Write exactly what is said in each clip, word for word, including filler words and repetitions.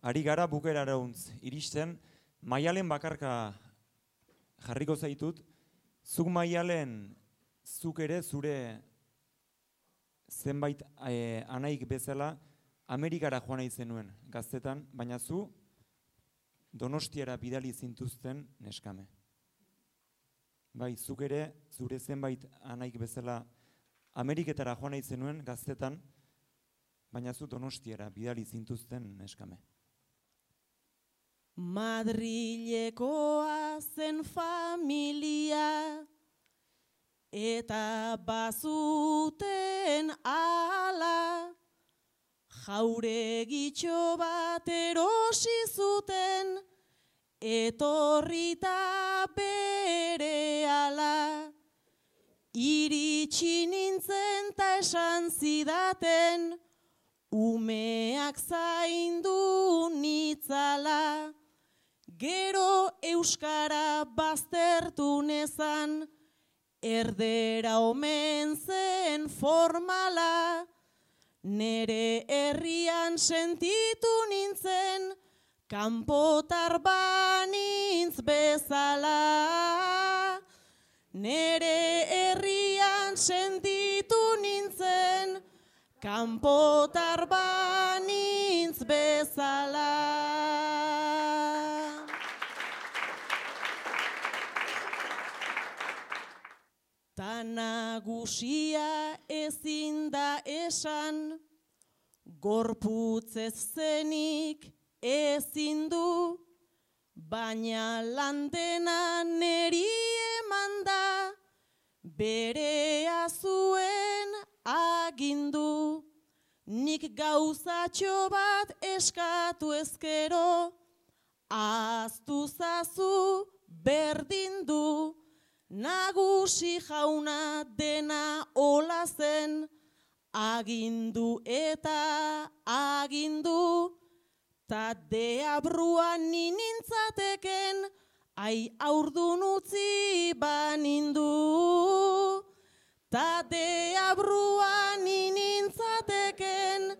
ari gara bukerarauntz iristen, Maialen bakarka jarriko zaitut, zuk Maialen, zuk ere zure zenbait eh, anaik bezala Amerikara joan nahi zenuen gaztetan, baina zu Donostiara bidali zintuzten neskame. Bai, zuk ere zure zenbait anaik bezala Ameriketara joan nahi zenuen gaztetan, baina zu Donostiara bidali zintuzten neskame. Madrilekoa zen familia eta bazuten ala, jauregitxo bat erosi zuten etorrita berehala. Iritsi nintzen ta esan zidaten umeak zaindu nitzala. Gero euskara baztertu nezan, erdera omen zen formala. Nere herrian sentitu nintzen, kanpotar banintz bezala. Nere herrian sentitu nintzen, kanpotar banintz bezala. Ta nagusia ezin da esan, gorputzez zenik ezin du, baina landena neri eman da, berea zuen agindu. Nik gauzatxo bat eskatu ezkero, ahaztu zazu berdin du. Nagusi jauna dena hola zen, agindu eta agindu, ta deabruan ninintzateken, ai aurdun utzi banindu. Ta deabruan ninintzateken,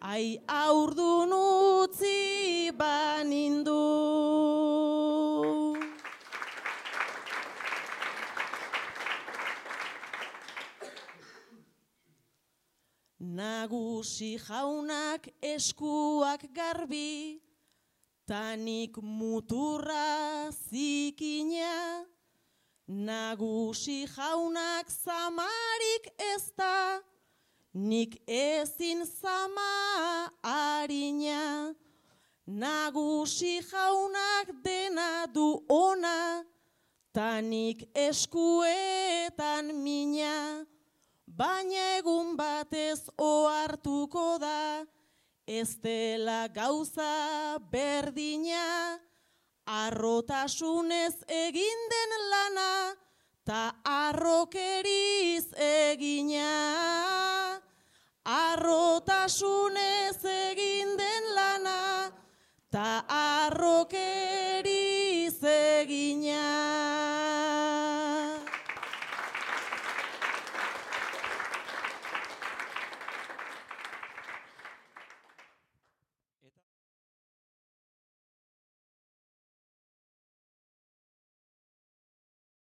ai aurdun utzi banindu. Nagusi jaunak eskuak garbi, tanik muturra zikina. Nagusi jaunak zamarik ez da, nik ezin zama harina. Nagusi jaunak dena du ona, tanik eskuetan mina. Baina egun batez ohartuko da, ez dela gauza berdina. Arrotasunez egin den lana, ta arrokeriz egina. Arrotasunez egin den lana, ta arrokeriz